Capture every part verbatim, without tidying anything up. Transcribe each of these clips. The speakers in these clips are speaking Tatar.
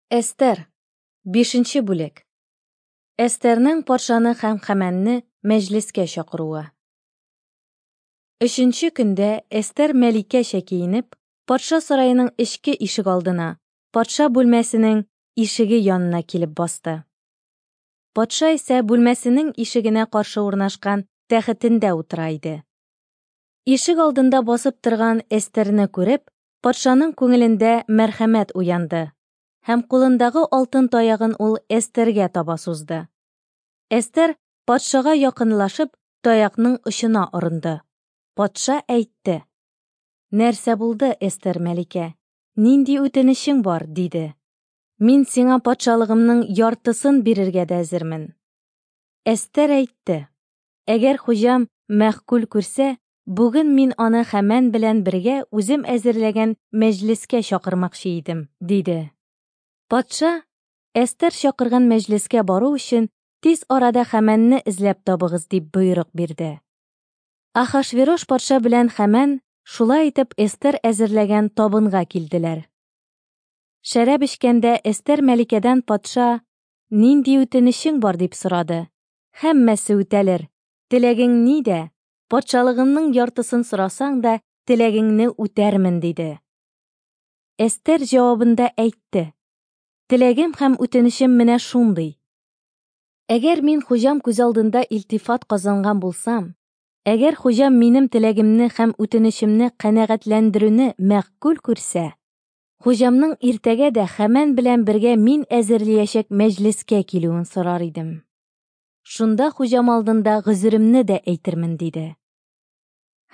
Эстер, бишенче бүлек. Эстернең патшаны һәм Хәмәнне мәҗлескә чакыруы. Өченче көндә Эстер мәликәчә киенеп, патша сараеның эчке ишек алдына, патша бүлмәсенең ишеге янына килеп басты. Патша исә бүлмәсенең ишегенә каршы урнашкан тәхетендә утыра иде. Ишек алдында басып торган Эстерне күреп, патшаның күңелендә мәрхәмәт уянды һәм кулындагы алтын таягын ул Эстергә таба сузды. Эстер патшага якынлашып, таякның очына орынды. Патша әйтте: "Нәрсә булды, Эстер мәликә? Нинди үтенечең бар?" диде. "Мин сиңа патшалыгымның яртысын бирергә дә әзермен." Эстер әйтте: "Әгәр хуҗам мәгъкуль күрсә, бүген мин аны Хәмән белән бергә үзем әзерләгән мәҗлескә чакырмакчы идем", диде. Патша, Эстер чакырган мәҗлескә бару өчен тиз арада Хәмәнне эзләп табыгыз дип боерык бирде. Ахашверош патша белән Хәмән шулай итеп Эстер әзерләгән табынга килделәр. Шәраб эчкәндә Эстер мәликәдән патша: "Нинди үтенечең бар?" дип сорады. "Һәммәсе үтәлер. Теләгең нидә? Патшалыгымның яртысын сорасаң да, теләгеңне үтәрмен", диде. Эстер җавабында әйтте: "Теләгем һәм үтенечем менә шундый: әгәр мин хуҗам күз алдында илтифат казанган булсам, әгәр хуҗам минем теләгемне һәм үтенечемне канәгатьләндерүне мәгъкуль күрсә, хуҗамның иртәгә дә Хәмән белән бергә мин әзерләячәк мәҗлескә килүен сорар идем. Шунда хуҗам алдында гозеремне дә әйтермен", диде.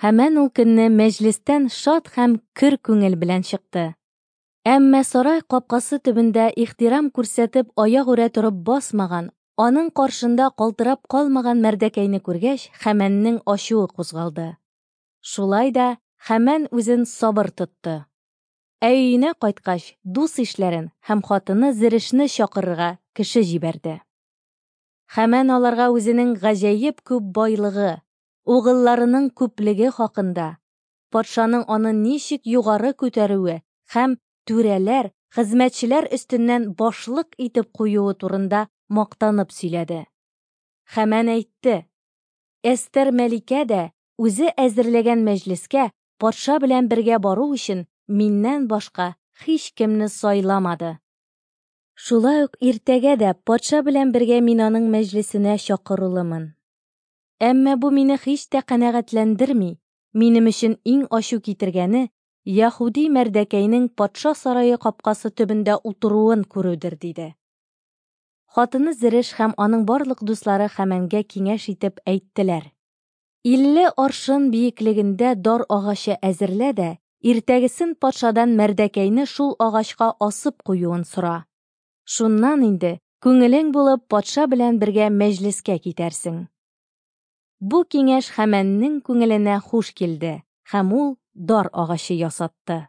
Хәмән ул көнне мәҗлестән шат һәм көр күңел белән чыкты. Әмма сарай капкасы төбендә ихтирам күрсәтеп аягүрә торып басмаган, аның каршында калтырап калмаган Мәрдәкәйне күргәч, Хәмәннең ачуы кузгалды. Шулай да Хәмән үзен сабыр тотты. Ә өенә кайткач, дус ишләрен һәм хатыны Зерешне чакырырга кеше җибәрде. Хәмән аларга үзенең гаҗәеп күп байлыгы, угылларының күплеге хакында, патшаның аны ничек югары күтәрүе һәм түрәләр, хезмәтчеләр өстеннән башлык итеп куюы турында мактанып сөйләде. Хәмән әйтте: "Эстер мәликә дә үзе әзерләгән мәҗлескә патша белән бергә бару өчен миннән башка һичкемне сайламады. Шулай ук иртәгә дә патша белән бергә мин аның мәҗлесенә чакырулымын. Әмма бу мине һич тә канәгатьләндерми. Минем өчен иң ачу китергәне Яһүди Мәрдәкәйнең патша сарае капкасы төбендә утыруын күрүдер", диде. Хатыны Зереш һәм аның барлык дуслары Хәмәнгә киңәш итеп әйттеләр: "Илле аршын биеклегендә дар агачы әзерлә дә, иртәгесен патшадан Мәрдәкәйне шул агачка асып куюын сора. Шуннан инде күңелең булып патша белән бергә мәҗлескә китәрсең." Бу киңәш Хәмәннең күңеленә хуш килде, һәм ул дар агачы ясатты.